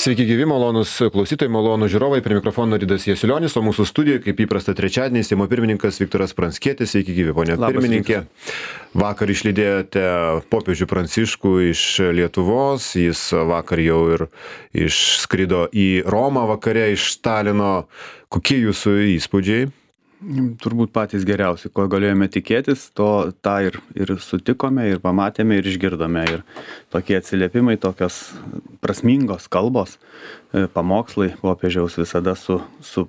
Sveiki gyvi, malonus klausytojai, malonus žiūrovai, prie mikrofono Ridas Jasiulionis, o mūsų studijoje, kaip įprasta trečiadienį, Seimo pirmininkas Viktoras Pranckietis. Sveiki gyvi, ponia pirmininkė. Vakar išlydėjote popiežių Pranciškų iš Lietuvos, jis vakar jau ir išskrido į Romą vakare iš Talino. Kokie jūsų įspūdžiai? Turbūt patys geriausi, ko galėjome tikėtis, tą ir sutikome, ir pamatėme, ir išgirdome. Ir tokie atsiliepimai, tokios prasmingos kalbos, pamokslai popiežiaus visada su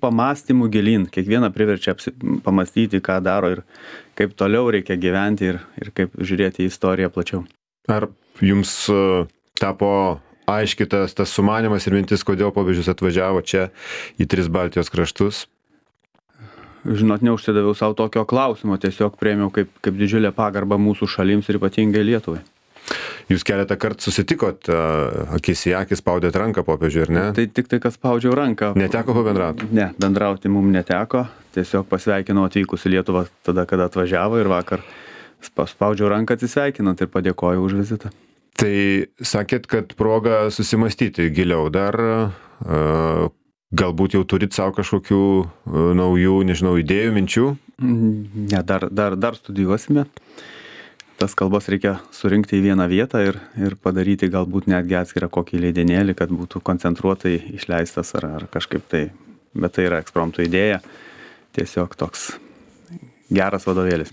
pamąstymu gilyn. Kiekvieną priverčia pamastyti, ką daro ir kaip toliau reikia gyventi ir kaip žiūrėti į istoriją plačiau. Ar jums tapo aiškitas tas sumanimas ir mintis, kodėl popiežius atvažiavo čia į 3 Baltijos kraštus? Žinot, neužsidaviau savo tokio klausimo, tiesiog priėmiau kaip didžiulę pagarbą mūsų šalims ir ypatingai Lietuvai. Jūs keletą kartų susitikot, akis į akį spaudėt ranką popiežiui, ar ne? Tai tik tai, kad spaudžiau ranką. Neteko pabendrauti? Ne, bendrauti mums neteko, tiesiog pasveikinau atvykus į Lietuvą tada, kada atvažiavo ir vakar spaudžiau ranką atsisveikinant ir padėkojau už vizitą. Tai sakėt, kad proga susimastyti giliau dar, galbūt jau turit savo kažkokių naujų, nežinau, idėjų, minčių? Ne, dar studijuosime. Tas kalbas reikia surinkti į vieną vietą ir padaryti galbūt netgi atskirą kokį leidinėlį, kad būtų koncentruotai išleistas ar kažkaip tai. Bet tai yra ekspromto idėja, tiesiog toks geras vadovėlis.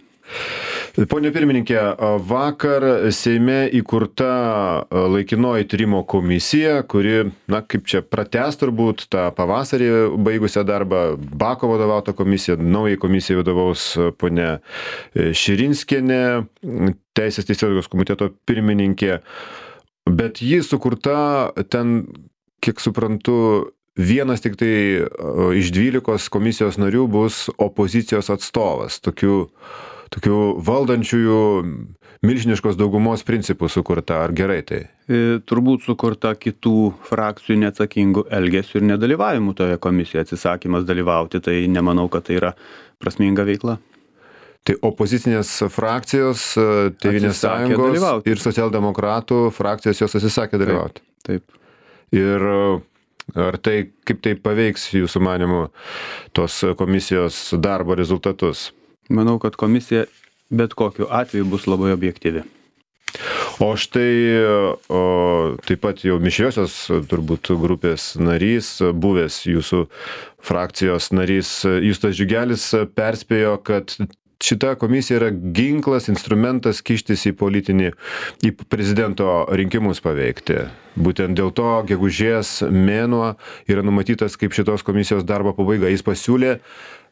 Pone pirmininkė, vakar Seime įkurta laikinoji tyrimo komisija, kuri, kaip čia pratęs turbūt tą pavasarį baigusią darbą, Bako vadovautą komisiją, naujai komisijai vadovaus ponia Širinskienė, Teisės teisėsaugos komiteto pirmininkė, bet ji sukurta ten, kiek suprantu, vienas tik tai iš 12 komisijos narių bus opozicijos atstovas, tokių valdančiųjų milžiniškos daugumos principų sukurta, ar gerai tai? Turbūt sukurta kitų frakcijų neatsakingų elgesių ir nedalyvavimų toje komisijoje, atsisakymas dalyvauti, tai nemanau, kad tai yra prasminga veikla. Tai opozicinės frakcijos, Tėvynės sąjungos ir socialdemokratų frakcijos jos atsisakė dalyvauti? Taip. Ir ar tai, kaip tai paveiks jūsų manymu tos komisijos darbo rezultatus? Manau, kad komisija bet kokiu atveju bus labai objektyvi. O štai taip pat jau mišriosios turbūt grupės narys, buvęs jūsų frakcijos narys Justas Džiugelis perspėjo, kad šita komisija yra ginklas, instrumentas kištis į prezidento rinkimus paveikti. Būtent dėl to gegužės mėnuo yra numatytas kaip šitos komisijos darbo pabaiga. Jis pasiūlė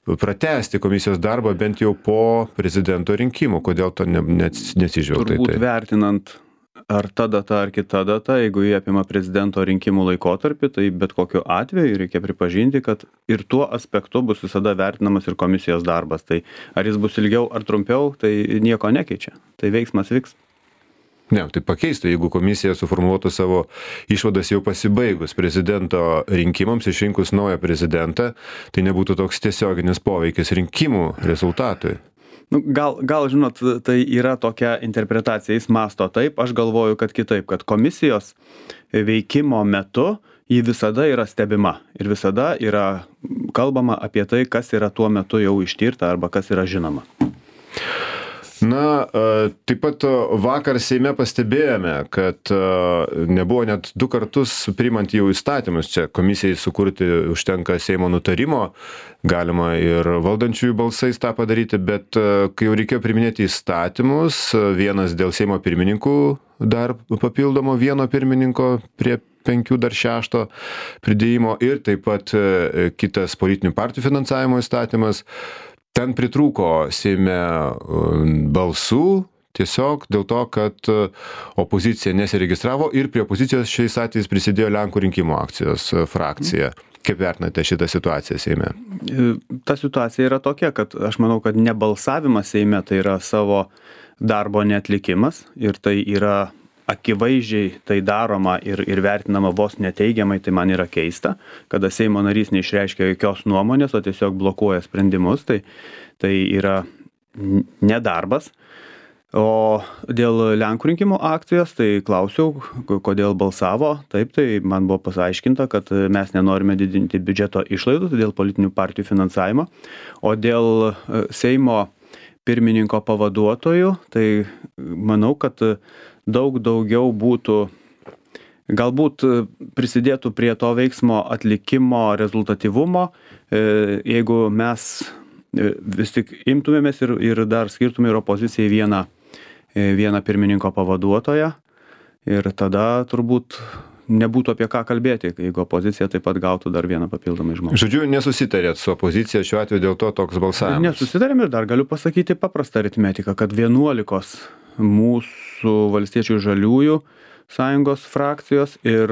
pratęsti komisijos darbą bent jau po prezidento rinkimų. Kodėl to nesižvelgta į tai? Turbūt vertinant ar ta data, ar kita data, jeigu jie apima prezidento rinkimų laikotarpį, tai bet kokiu atveju reikia pripažinti, kad ir tuo aspektu bus visada vertinamas ir komisijos darbas. Tai ar jis bus ilgiau ar trumpiau, tai nieko nekeičia. Tai veiksmas vyks. Ne, tai pakeistų, jeigu komisija suformuotų savo išvadas jau pasibaigus prezidento rinkimams, išrinkus naują prezidentą, tai nebūtų toks tiesioginis poveikis rinkimų rezultatui. Gal žinot, tai yra tokia interpretacija, jis masto taip, aš galvoju, kad kitaip, kad komisijos veikimo metu ji visada yra stebima ir visada yra kalbama apie tai, kas yra tuo metu jau ištirta arba kas yra žinoma. Taip pat vakar Seime pastebėjome, kad nebuvo net 2 kartus priimant jau įstatymus. Čia komisijai sukurti užtenka Seimo nutarimo, galima ir valdančiųjų balsais tą padaryti, bet kai jau reikėjo priiminėti įstatymus, vienas dėl Seimo pirmininkų, dar papildomo vieno pirmininko prie 5 dar 6 pridėjimo ir taip pat kitas politinių partijų finansavimo įstatymas, ten pritrūko Seime balsų tiesiog dėl to, kad opozicija nesiregistravo ir prie opozicijos šiais atvejais prisidėjo Lenkų rinkimų akcijos frakcija. Kaip vertinate šitą situaciją Seime? Ta situacija yra tokia, kad aš manau, kad nebalsavimas Seime tai yra savo darbo neatlikimas ir tai yra akivaizdžiai tai daroma ir vertinama vos neteigiamai, tai man yra keista, kada Seimo narys neišreiškia jokios nuomonės, o tiesiog blokuoja sprendimus, tai yra nedarbas. O dėl Lenkų rinkimų akcijos, tai klausiau, kodėl balsavo. Taip, tai man buvo paaiškinta, kad mes nenorime didinti biudžeto išlaidų dėl politinių partijų finansavimo. O dėl Seimo pirmininko pavaduotojų, tai manau, kad daug daugiau būtų, galbūt prisidėtų prie to veiksmo atlikimo rezultatyvumo, jeigu mes vis tik imtumėmės ir dar skirtume ir opozicijai vieną pirmininko pavaduotoją ir tada turbūt nebūtų apie ką kalbėti, jeigu opozicija taip pat gautų dar vieną papildomą žmogų. Žodžiu, nesusitarėt su opozicija šiuo atveju, dėl to toks balsavimas. Nesusitarėm ir dar galiu pasakyti paprastą aritmetiką, kad 11 mūsų valstiečių žaliųjų sąjungos frakcijos ir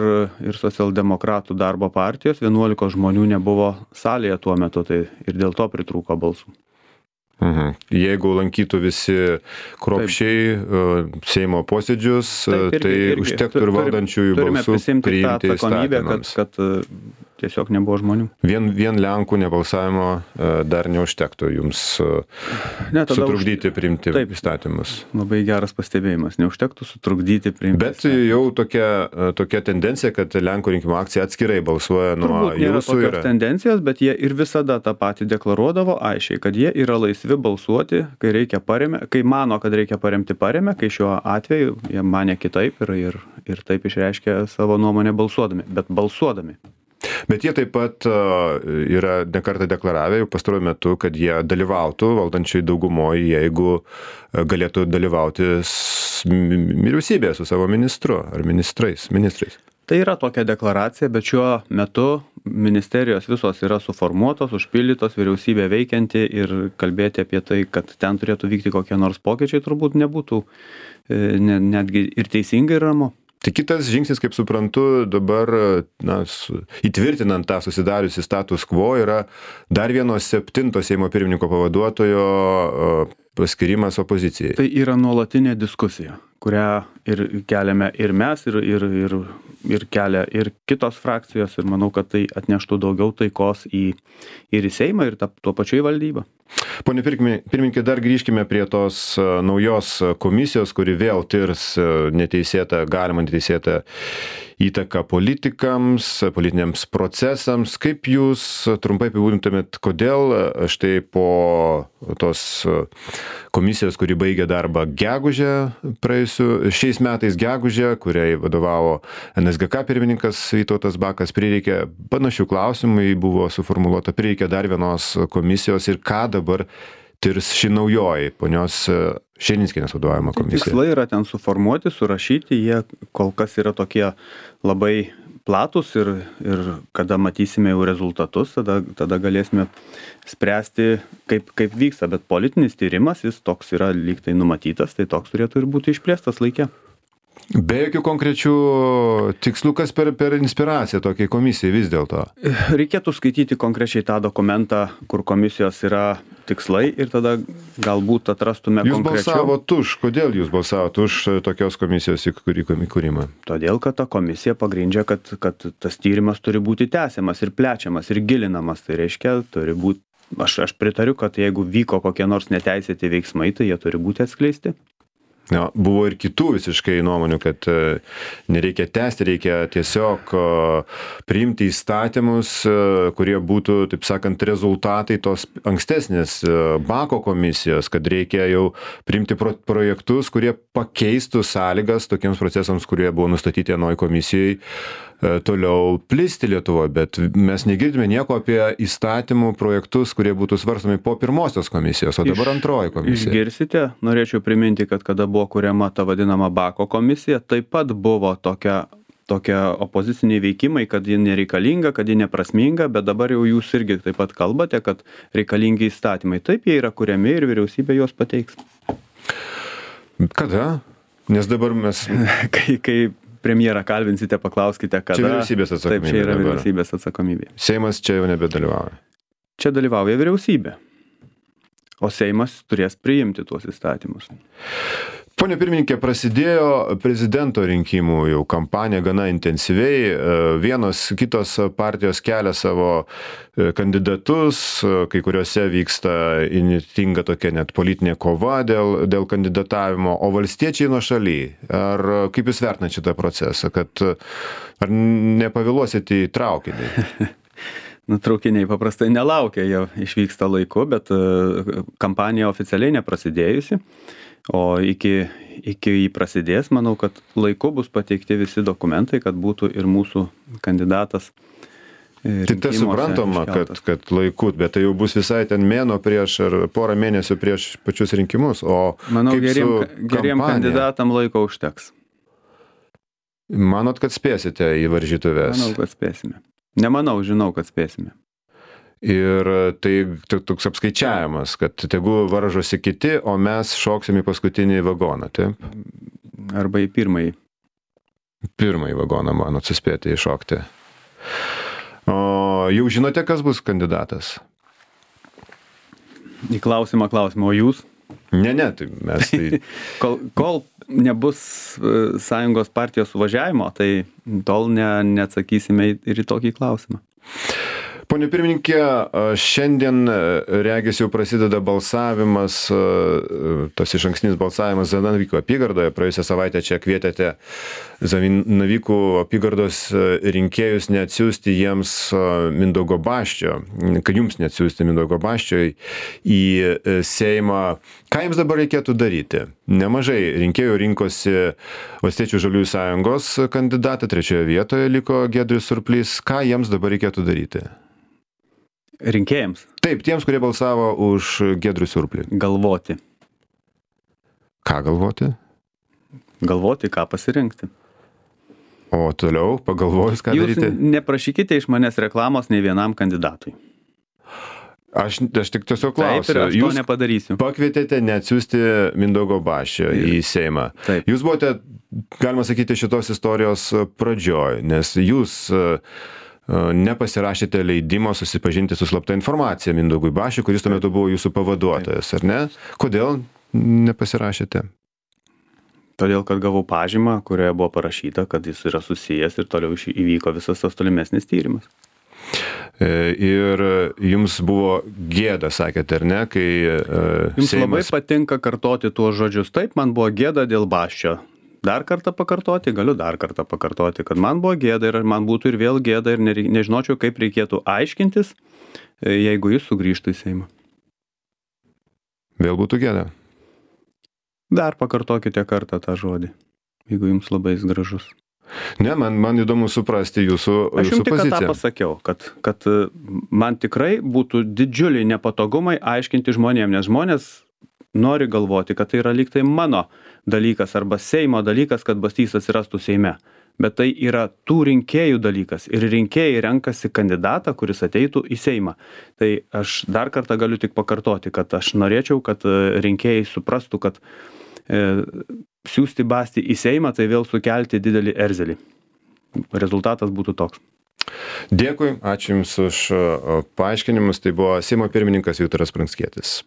socialdemokratų darbo partijos 11 žmonių nebuvo salėje tuo metu, tai ir dėl to pritrūko balsų. Jeigu lankytų visi kruopščiai Seimo posėdžius, tai užtektų ir valdančiųjų balsų priimti įstatymams. Kad tiesiog nebuvo žmonių. Vien Lenkų nebalsavimo dar neužtektų jums sutrukdyti priimti įstatymus. Labai geras pastebėjimas, neužtektų sutrukdyti priimti. Bet jau tokia tendencija, kad Lenkų rinkimų akcija atskirai balsuoja nuo jūsų. Turbūt nėra tokios tendencijos, bet jie ir visada tą patį deklaruodavo aiškiai, kad jie yra laisvi balsuoti, kai mano, kad reikia paremti, kai šiuo atveju jie manė kitaip ir taip išreiškė savo nuomonę balsuodami, bet balsuodami. Bet jie taip pat yra nekartą deklaravę jau pastaruoju metu, kad jie dalyvautų valdančiai daugumoje, jeigu galėtų dalyvauti vyriausybėje su savo ministru ar ministrais. Tai yra tokia deklaracija, bet šiuo metu ministerijos visos yra suformuotos, užpildytos, vyriausybė veikianti ir kalbėti apie tai, kad ten turėtų vykti kokie nors pokyčiai, turbūt nebūtų netgi ir teisingai ir ramu. Tai kitas žingsnis, kaip suprantu, dabar įtvirtinant tą susidariusį status quo yra dar vieno 7 Seimo pirmininko pavaduotojo paskirimas opozicijai. Tai yra nuolatinė diskusija, kurią ir keliame ir mes, ir kelia ir kitos frakcijos, ir manau, kad tai atneštų daugiau taikos ir į Seimą, ir tuo pačiu į valdybą. Pone pirmininkė, dar grįžkime prie tos naujos komisijos, kuri vėl tirs galimą neteisėtą įtaką politikams, politiniams procesams. Kaip jūs trumpai apibūdintumėt, kodėl štai po tos komisijos, kuri baigė darbą šiais metais gegužę, kuriai vadovavo NSGK pirmininkas Vytautas Bakas, prireikė panašių klausimų, buvo suformuluota, prireikė dar vienos komisijos ir ką dabar tirs ši naujoji ponios Širinskienės vadovaujama komisija? Tikslai yra ten suformuoti, surašyti, jie kol kas yra tokie labai platus ir kada matysime jau rezultatus, tada galėsime spręsti, kaip vyksta, bet politinis tyrimas, jis toks yra lyg tai numatytas, tai toks turėtų ir būti išplėstas laike. Be jokių konkrečių tikslų, kas per inspiraciją tokiai komisijai vis dėlto? Reikėtų skaityti konkrečiai tą dokumentą, kur komisijos yra tikslai ir tada galbūt atrastume konkrečiau. Jūs balsavot už, kodėl jūs balsavot už tokios komisijos įkūrimą? Todėl, kad ta komisija pagrindžia, kad tas tyrimas turi būti tęsiamas ir plečiamas ir gilinamas. Tai reiškia, turi būti, aš pritariu, kad jeigu vyko kokie nors neteisėti veiksmai, tai jie turi būti atskleisti. Buvo ir kitų visiškai nuomonių, kad nereikia tęsti, reikia tiesiog priimti įstatymus, kurie būtų, taip sakant, rezultatai tos ankstesnės Bako komisijos, kad reikia jau priimti projektus, kurie pakeistų sąlygas tokiems procesams, kurie buvo nustatyti anoj komisijai, toliau plisti Lietuvoje, bet mes negirdime nieko apie įstatymų projektus, kurie būtų svarstomi po pirmosios komisijos, o dabar antroji komisija. Išgirsite, norėčiau priminti, kad kada buvo kuriama ta vadinama Bako komisija, taip pat buvo tokia opoziciniai veikimai, kad ji nereikalinga, kad ji neprasminga, bet dabar jau jūs irgi taip pat kalbate, kad reikalingi įstatymai. Taip, jie yra kuriami ir vyriausybė juos pateiks. Kada? Nes dabar mes... Kai premjerą kalbinsite, paklauskite, kada. Čia vyriausybės atsakomybė. Taip, čia yra vyriausybės atsakomybė. Seimas čia jau nebedalyvauja. Čia dalyvauja vyriausybė. O Seimas turės priimti tuos įstatymus. Pone pirmininkė, prasidėjo prezidento rinkimų jau kampanija gana intensyviai. Vienos kitos partijos kelia savo kandidatus, kai kuriuose vyksta įnirtinga tokia net politinė kova dėl kandidatavimo, o valstiečiai nuošaly. Ar kaip jūs vertinate šitą procesą, kad ar nepavėluosite į traukinį? Traukiniai paprastai nelaukia, jie išvyksta laiku, bet kampanija oficialiai neprasidėjusi. O iki jį prasidės, manau, kad laiku bus pateikti visi dokumentai, kad būtų ir mūsų kandidatas. Tai tai suprantama, kad laiku, bet tai jau bus visai ten mėno prieš ar porą mėnesių prieš pačius rinkimus. O manau, geriem kandidatam laiko užteks. Manot, kad spėsite į varžytuves? Manau, kad spėsime. Nemanau, žinau, kad spėsime. Ir tai toks apskaičiavimas, kad tegu varžosi kiti, o mes šoksim į paskutinį vagoną, taip? Arba į pirmąjį. Pirmąjį vagoną, manot, suspėti įšokti. O jau žinote, kas bus kandidatas? Į klausimą, o jūs? Ne, tai mes tai... Kol nebus sąjungos partijos suvažiavimo, tai tol neatsakysime ir į tokį klausimą. Pone pirmininkė, šiandien regis jau prasideda balsavimas, tas išankstinis balsavimas Zanavykų apygardoje. Praėjusią savaitę čia kvietėte Zanavykų apygardos rinkėjus neatsiųsti jiems Mindaugo Basčio, kad jums neatsiųsti Mindaugo Basčio į Seimą. Ką jums dabar reikėtų daryti? Nemažai rinkėjų rinkosi Valstiečių žaliųjų sąjungos kandidatą, 3 vietoje liko Giedrius Surplys. Ką jiems dabar reikėtų daryti? Rinkėjams? Taip, tiems, kurie balsavo už Giedrių Surplį. Galvoti. Ką galvoti? Galvoti, ką pasirinkti. O toliau, pagalvojus, ką daryti? Jūs neprašykite iš manęs reklamos nei vienam kandidatui. Aš tik tiesiog klausiu. Taip, ir aš to nepadarysiu. Pakvietėte neatsiųsti Mindaugo Basčio į Seimą. Taip. Jūs buvote, galima sakyti, šitos istorijos pradžioj, nes jūs nepasirašėte leidimo susipažinti su slapta informacija Mindaugui Basčiui, kuris tuo metu buvo jūsų pavaduotojas, ar ne? Kodėl nepasirašėte? Todėl, kad gavau pažymą, kurioje buvo parašyta, kad jis yra susijęs ir toliau įvyko visas tas tolimesnis tyrimas. Ir jums buvo gėda, sakėte, ar ne, kai jums labai patinka kartoti tuos žodžius. Taip, man buvo gėda dėl Basčio. Dar kartą pakartoti, galiu dar kartą pakartoti, kad man buvo gėda ir man būtų ir vėl gėda ir nežinočiau, kaip reikėtų aiškintis, jeigu jis sugrįžtų į Seimą. Vėl būtų gėda? Dar pakartokite kartą tą žodį, jeigu jums labai jis gražus. Ne, man įdomu suprasti jūsų poziciją. Aš jums tik tą pasakiau, kad man tikrai būtų didžiuliai nepatogumai aiškinti žmonėm, nes žmonės nori galvoti, kad tai yra lyg tai mano dalykas arba Seimo dalykas, kad Bastys atsirastų Seime. Bet tai yra tų rinkėjų dalykas ir rinkėjai renkasi kandidatą, kuris ateitų į Seimą. Tai aš dar kartą galiu tik pakartoti, kad aš norėčiau, kad rinkėjai suprastų, kad siųsti Bastį į Seimą, tai vėl sukelti didelį erzelį. Rezultatas būtų toks. Dėkui, ačiū Jums už paaiškinimus. Tai buvo Seimo pirmininkas Viktoras Pranckietis.